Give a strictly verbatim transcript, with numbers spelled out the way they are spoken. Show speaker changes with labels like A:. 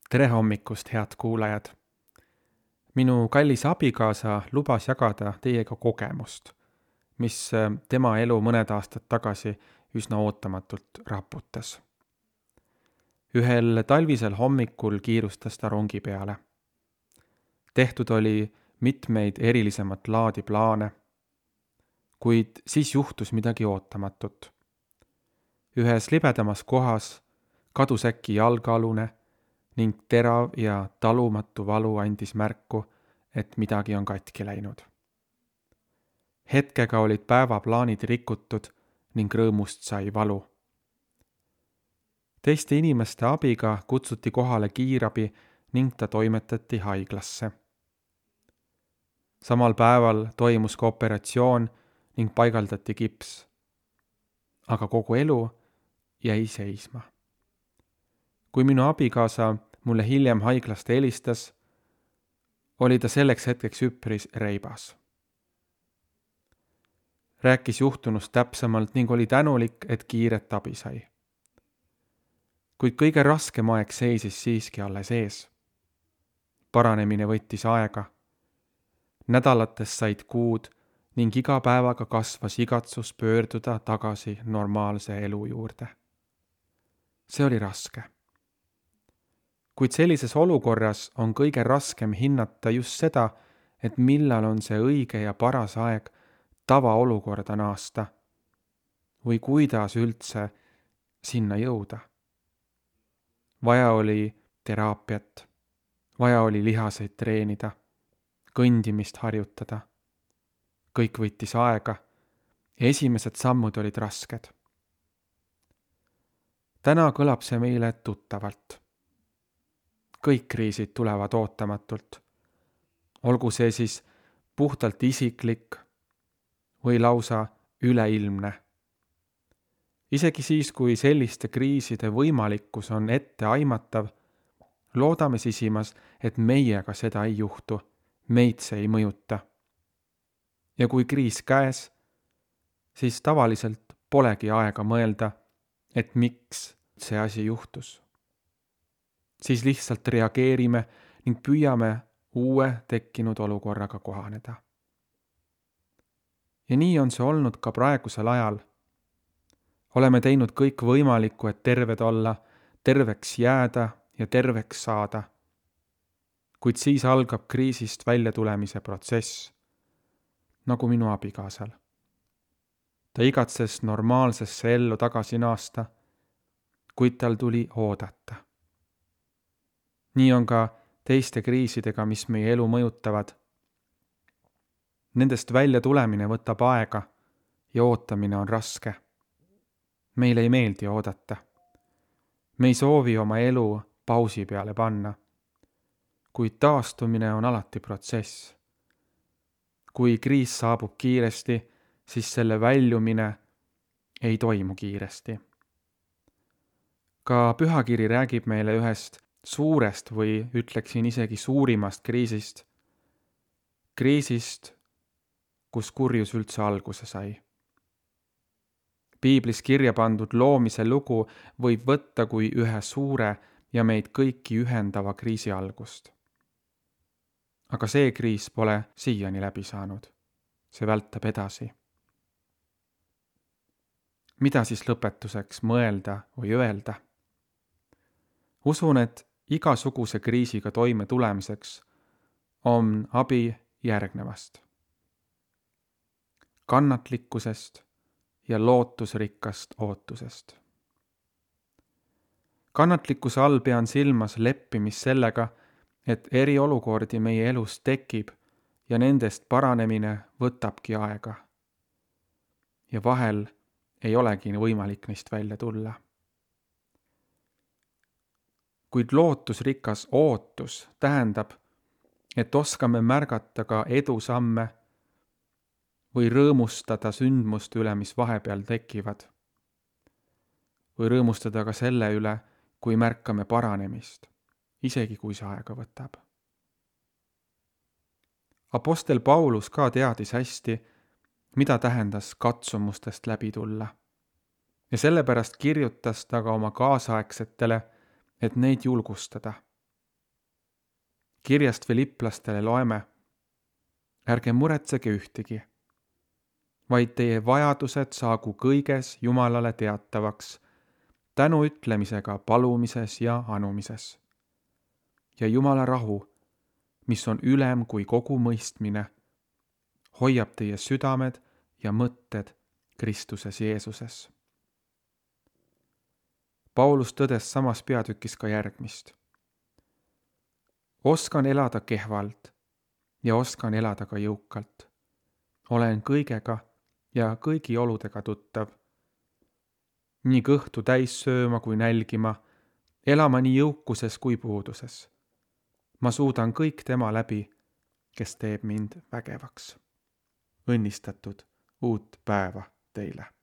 A: Tere hommikust, head kuulajad! Minu kallis abikaasa lubas jagada teiega kogemust, mis tema elu mõned aastad tagasi üsna ootamatult raputas. Ühel talvisel hommikul kiirustas ta rongi peale. Tehtud oli mitmeid erilisemat laadi plaane, kuid siis juhtus midagi ootamatut. Ühes libedamas kohas kadus äkki jalgealune ning terav ja talumatu valu andis märku, et midagi on katki läinud. Hetkega olid päevaplaanid rikutud ning rõõmust sai valu. Teiste inimeste abiga kutsuti kohale kiirabi ning ta toimetati haiglasse. Samal päeval toimus ka operatsioon ning paigaldati kips. Aga kogu elu jäi seisma. Kui minu abikaasa mulle hiljem haiglast helistas, oli ta selleks hetkeks üpris reibas. Rääkis juhtunust täpsemalt ning oli tänulik, et kiiret abi sai. Kuid kõige raskem aeg seisis siiski alles ees. Paranemine võttis aega. Nädalatest said kuud ning iga päevaga kasvas igatsus pöörduda tagasi normaalse elu juurde. See oli raske. Kuid sellises olukorras on kõige raskem hinnata just seda, et millal on see õige ja paras aeg tavaolukorda naasta või kuidas üldse sinna jõuda. Vaja oli teraapiat, vaja oli lihaseid treenida, kõndimist harjutada. Kõik võttis aega ja esimesed sammud olid rasked. Täna kõlab see meile tuttavalt. Kõik kriisid tulevad ootamatult. Olgu see siis puhtalt isiklik või lausa üleilmne. Isegi siis, kui selliste kriiside võimalikkus on ette aimatav, loodame sisimas, et meiega seda ei juhtu, meid see ei mõjuta. Ja kui kriis käes, siis tavaliselt polegi aega mõelda, et miks see asi juhtus. Siis lihtsalt reageerime ning püüame uue tekkinud olukorraga kohaneda. Ja nii on see olnud ka praegusel ajal. Oleme teinud kõik võimalikku, et terved olla, terveks jääda ja terveks saada. Kuid siis algab kriisist välja tulemise protsess, nagu minu abikaasal. Ta igatses normaalsesse ellu tagasi naasta, kuid tal tuli oodata. Nii on ka teiste kriisidega, mis meie elu mõjutavad. Nendest välja tulemine võtab aega ja ootamine on raske. Meile ei meeldi oodata. Me ei soovi oma elu pausi peale panna. Kuid taastumine on alati protsess. Kui kriis saabub kiiresti, siis selle väljumine ei toimu kiiresti. Ka pühakiri räägib meile ühest suurest või ütleksin isegi suurimast kriisist. Kriisist, kus kurjus üldse alguse sai. Piiblis kirja pandud loomise lugu võib võtta kui ühe suure ja meid kõiki ühendava kriisi algust. Aga see kriis pole siiani läbi saanud. See vältab edasi. Mida siis lõpetuseks mõelda või öelda? Usun, et igasuguse kriisiga toime tulemiseks on abi järgnevast. Kannatlikkusest ja lootusrikkast ootusest. Kannatlikkuse all pean silmas leppimist sellega, et eriolukordi meie elus tekib ja nendest paranemine võtabki aega. Ja vahel ei olegi võimalik neist välja tulla. Kuid lootusrikas ootus tähendab, et oskame märgata ka edusamme või rõõmustada sündmuste üle, mis vahepeal tekivad. Või rõõmustada ka selle üle, kui märkame paranemist, isegi kui see aega võtab. Apostel Paulus ka teadis hästi, mida tähendas katsumustest läbi tulla. Ja sellepärast kirjutas ta ka oma kaasaegsetele, et neid julgustada. kirjast Filiplastele loeme: ärge muretsege ühtegi, vaid teie vajadused saagu kõiges Jumalale teatavaks, tänu ütlemisega palumises ja anumises. Ja Jumala rahu, mis on ülem kui kogu mõistmine, hoiab teie südamed ja mõtted Kristuses Jeesuses. Paulus tõdes samas peatükis ka järgmist. Oskan elada kehvalt ja oskan elada ka jõukalt. Olen kõigega ja kõigi oludega tuttav. Nii kõhtu täis sööma kui nälgima, elama nii jõukuses kui puuduses. Ma suudan kõik tema läbi, kes teeb mind vägevaks. Õnnistatud uut päeva teile!